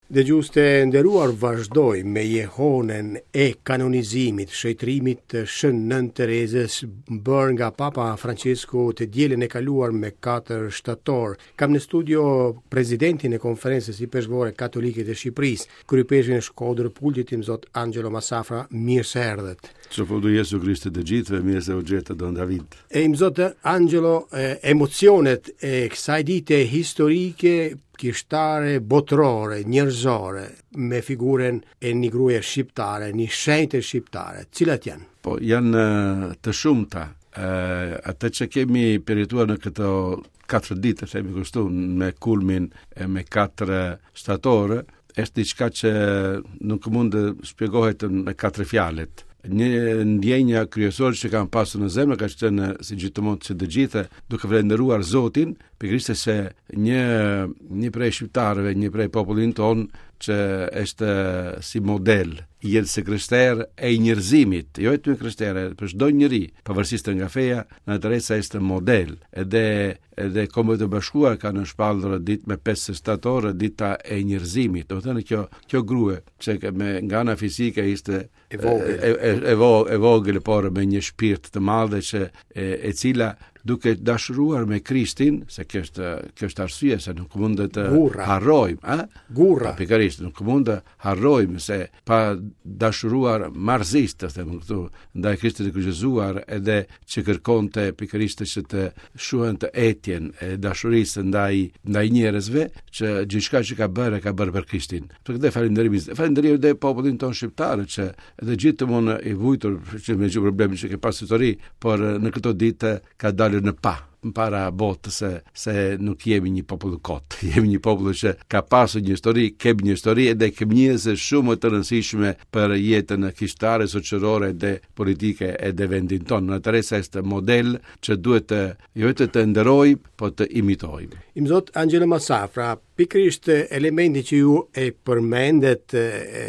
Dëgjues të nderuar vazhdoj me jehonën e kanonizimit, shenjtërimit të Shën Nënë Terezës bërë nga Papa Francesku të dielën e kaluar me 4 shtator. Kam në studio presidentin e Konferencës Ipeshkvore Katolike të Shqipërisë, kryeipeshkvin e Shkodër Pultit Imzot Angelo Massafra, mirë se erdhët. Të Jezu Krishti të gjithëve, mirë se u gjeta Don David. E Imzot Angelo, emocionet e kësaj dite historike kishtare, botërore, njerëzore, me figurën e një gruaje shqiptare, një shenjte shqiptare, cilat janë? Po, janë të shumta. Atë që kemi përjetuar në këto katër ditë, themi kështu, me kulmin e me 4 shtator, është diçka që nuk mund të shpjegohet me katër fjalët. Një ndjenja kryesore që kam pasur në zemër ka qenë si gjithmonë që të gjithë duke falënderuar Zotin, pikërisht se një një prej shqiptarëve, një prej popullin tonë që është si model i jetës së krishterë e i njerëzimit, jo vetëm i krishterë, për çdo njeri, pavarësisht nga feja, Nëna Teresa është model. Edhe edhe Kombet e Bashkuara kanë shpallur ditë me 5 shtator dita e njerëzimit. Domethënë kjo kjo grua që me nga ana fizike ishte e vogël, e, e, e, e vogël por me një shpirt të madh që e, e cila duke dashuruar me Krishtin, se kjo është kjo është arsye se nuk mund të harrojmë, a? Gurra. Po, pikërisht, nuk mund të harrojmë se pa dashuruar marrëzisht, të them këtu, ndaj Krishtit të kryqëzuar edhe që kërkonte pikërisht që të shuante etjen e dashurisë ndaj ndaj njerëzve, që gjithçka që ka bërë e ka bërë për Krishtin. Për këtë falënderimi, falënderimi edhe popullin tonë shqiptar që edhe gjithmonë i vujtur që me gjithë problemin që ke pas histori, por në këto ditë ka dalur në pah para botës se, se nuk jemi një popull kot, jemi një popull që ka pasur një histori, kemi një histori edhe kemi njerëz shumë të rëndësishme për jetën kishtare, shoqërore dhe politike edhe vendin tonë. Nëna Teresa është model që duhet të jo vetëm të nderojmë, po të imitojmë. Imzot Angelo Massafra, pikërisht elementi që ju e përmendet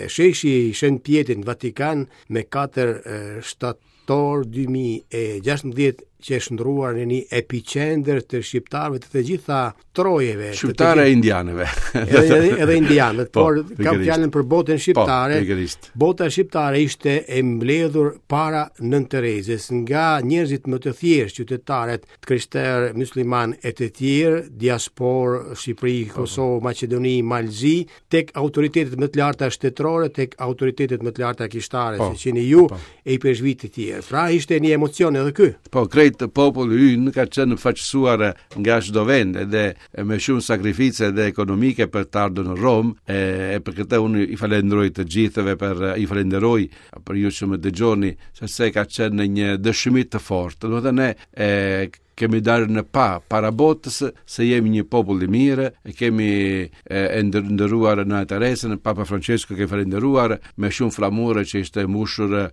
sheshi i Shën Pjetrit në Vatikan me 4 shtator 2016 që e shndërruar në një epiqendër të shqiptarëve të të gjitha trojeve. Shqiptarë e indianëve. edhe, edhe, edhe indianët, po, por kam fjalën për botën po, shqiptare. Po, Bota shqiptare ishte e mbledhur para Nënë Terezës nga njerëzit më të thjeshtë, qytetarët, të krishterë, muslimanë e të tjerë, diasporë, Shqipëri, po, po. Kosovë, Maqedoni, Mal Zi, tek autoritetet më të larta shtetërore, tek autoritetet më të larta kishtare, po, si jeni ju po. e ipeshkvij të tjerë. Pra ishte një emocion edhe ky. Po krejt populli ynë ka qenë përfaqësuar nga çdo vend edhe me shumë sakrifice edhe ekonomike për të ardhur në Romë, e, e për këtë unë i falenderoj të gjithëve për i falenderoj për ju që më dëgjoni, sepse ka qenë një dëshmi të fortë. Domethënë ne e kemi dalë në pah para botës se jemi një popull i mirë, e kemi e, e nderuar Nënë Teresën, Papa Francesco ke falënderuar me shumë flamure që ishte mbushur e,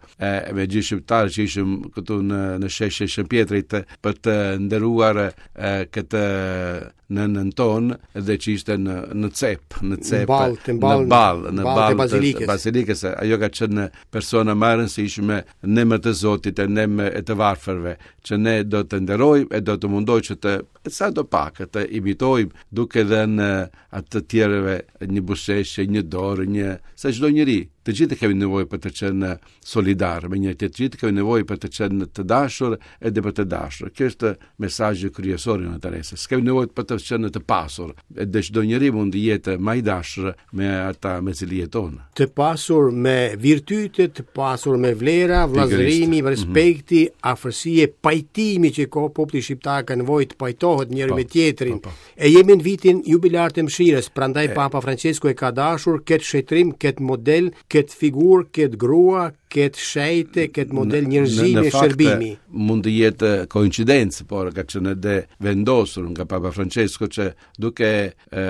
me gjithë shqiptarë që ishim këtu në në sheshin e Shën Pjetrit për të nderuar e, këtë nënën tonë dhe që ishte në në cep, në cep, ball, në ball, në ball, në ball të bazilikës. Bazilikës, ajo ka qenë persona më e rëndësishme në emër të Zotit e në emër e të varfërve, që ne do të nderojmë e do të mundojmë që të sado pak të imitojmë duke dhënë atë të tjerëve një buzëqeshje, një dorë, një se çdo njeri, të gjithë kemi nevojë për të qenë solidar me një tjetër, të gjithë kemi nevojë për të qenë të dashur edhe për të dashur. Kjo është mesazhi kryesor i Nënë Teresës. S'kemi nevojë për të qenë të pasur, edhe çdo njeri mund të jetë më i dashur me ata me cilë jeton. Të pasur me virtyte, të pasur me vlera, vëllazërimi, mhm. respekti, mm -hmm. afërsie, pajtimi që ka populli shqiptar ka nevojë të pajtohet njëri po, me tjetrin. Po, po. E jemi në vitin jubilar të mëshirës, prandaj Papa Francesku e ka dashur këtë shenjtërim, këtë model, këtë figurë, këtë grua, këtë shenjte, këtë model njerëzimi e shërbimi. Mund të jetë koincidencë, por ka qenë edhe vendosur nga Papa Francesco që duke e,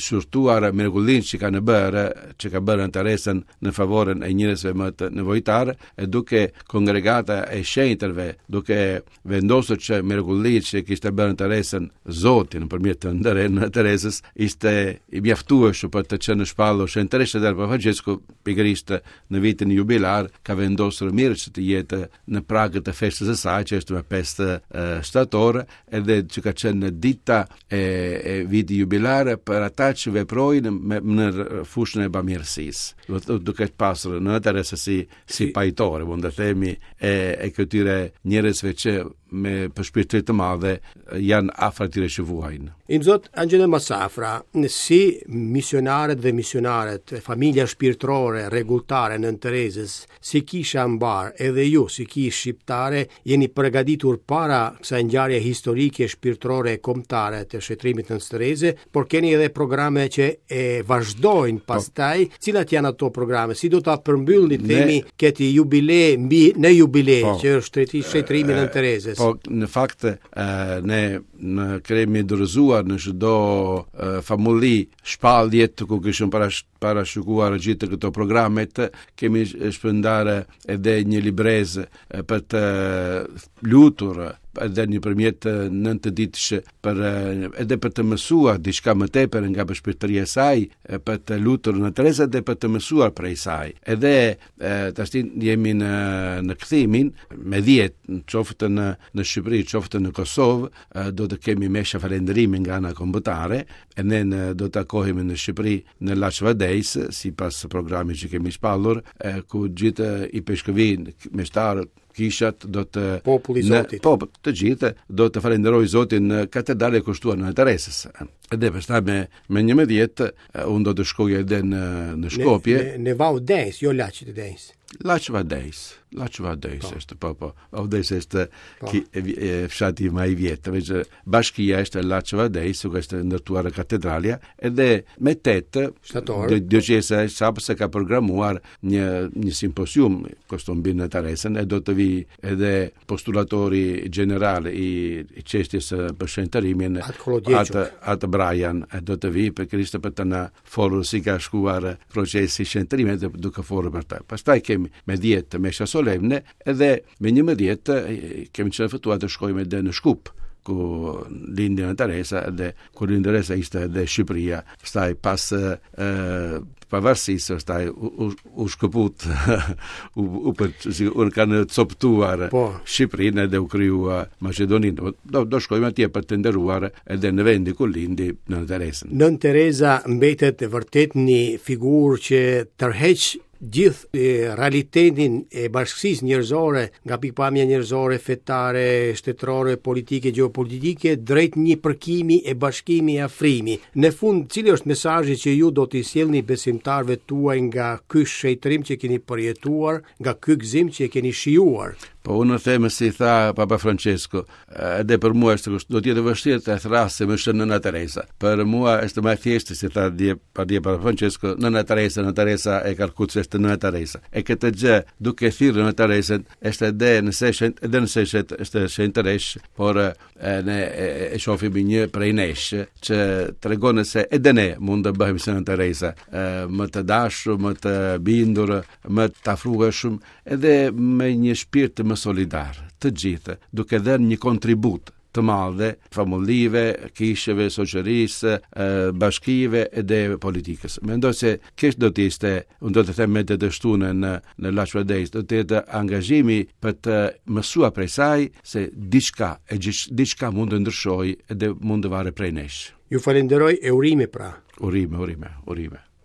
shqyrtuar mrekullinë që kanë bërë, që ka bërë Nënë Teresa në favorin e njerëzve më të nevojtarë, e duke kongregata e shenjtërve, duke vendosur që mrekullitë që kishte bërë Nënë Teresa Zoti nëpërmjet të Nënë Teresës ishte i mjaftueshëm për të qenë shpallur shenjtëreshë dhe Papa Francesco pikërisht në vitin jubilar. ka vendosur mirë që të jetë në prag të festës së saj, që është me 5 shtator, edhe që ka qenë dita e, e viti jubilare për ata që veprojnë me, në fushën e bamirësisë. Do të duke pasur Nënë Teresa si si pajtore, mund të themi e e këtyre njerëzve që me përshpirtëri të madhe janë afër atyre që vuajnë. Imzot Angelo Massafra, si misionarët dhe misionaret, familja shpirtërore, rregulltare Nënë Terezës, Si kisha mbarë, edhe ju si kishë shqiptare jeni përgatitur para kësaj ngjarje historike, shpirtërore e kombëtare të shenjtërimit të Nënës Tereze, por keni edhe programe që e vazhdojnë po. pastaj. Cilat janë ato programe? Si do ta përmbyllni ne, themi këtë jubile mbi në jubile po, që është shenjtërimi i Nënë Terezës? Po, në fakt ne në kemi dorëzuar në çdo famulli shpalljet ku kishim parash parashikuar gjithë këto programet, kemi shpërndarë edhe një librezë për të lutur edhe nëpërmjet 9 ditësh për edhe për të mësuar diçka më tepër nga përshpirtëria e saj, për të lutur Nënë Tereza dhe për të mësuar prej saj. Edhe tashti jemi në në kthimin me 10, qoftë në në Shqipëri, qoftë në Kosovë, do të kemi mesha falënderimi nga ana kombëtare, e ne në, do të takohemi në Shqipëri në Laç Vadejs, sipas programit që kemi shpallur, e, ku gjithë ipeshkëvin, meshtarët, kishat do të populli i Zotit. Po, të gjithë do të falënderojë Zotin në katedrale kushtuar Nënë Teresës. Edhe pastaj me me 11 unë do të shkoj edhe në në Skopje. Në, në, në Vau Dejës, jo Laç të Dejës. Laç Vadejs, Laç Vadejs po. është po po. Vau Dejës është po. ki, e, e, fshati më i vjetër, veç bashkia është Laç Vadejs, ku është ndërtuar katedralja, edhe me 8 shtator. Dioqeza e Sapës ka programuar një një simpozium kështu mbi Nënë Teresën e do të vi edhe postulatori gjeneral i, i çështjes për shenjtërimin atë atë Brian e do të vi pikërisht për të na folur si ka shkuar procesi i shenjtërimit dhe duke folur për të. Pastaj kemi me 10 mesha solemne edhe me 11 kemi qenë ftuar të shkojmë edhe në Shkup ku lindi Nëna Teresa edhe ku lindi Teresa ishte edhe Shqipëria. Pastaj pas e, pavarësisë pastaj u, u, u shkëput u, u, për, si, u kanë coptuar po. Shqipërinë edhe u krijua Maqedoninë. Do, do shkojmë atje për të nderuar edhe në vendin ku lindi Nënë Teresën. Nënë Tereza mbetet vërtet një figurë që tërheq gjithë realitetin e bashkësisë njerëzore nga pikëpamja njerëzore, fetare, shtetërore, politike, gjeopolitike drejt një përkimi e bashkimi e afrimi. Në fund, cili është mesazhi që ju do t'i sjellni besimtarëve tuaj nga ky shenjtërim që keni përjetuar, nga ky gëzim që keni shijuar? Po unë them si tha Papa Francesco, edhe për mua është kështu, do të jetë e vështirë të thërrasim është Nëna Teresa. Për mua është më e thjeshtë si tha dje pardje Papa Francesco, Nëna Teresa, Nëna Teresa e Kalkutës është Nëna Teresa. E këtë gjë duke thirrur Nëna Teresën është edhe nëse është edhe nëse është është shenjtëresh, por e, ne e, e shohim një prej nesh që tregon se edhe ne mund të bëhemi si Nëna Teresa, e, më të dashur, më të bindur, më të afrueshëm, edhe me një shpirt më solidar, të gjithë, duke dhënë një kontribut të madhe famullive, kisheve, shoqërisë, bashkive edhe politikës. Mendoj se kjo do të ishte, unë do të them me të shtunë në në Laç Vadejs, do të jetë angazhimi për të mësuar prej saj se diçka e diçka mund të ndryshojë edhe mund të varet prej nesh. Ju falenderoj e urime pra. Urime, urime, urime.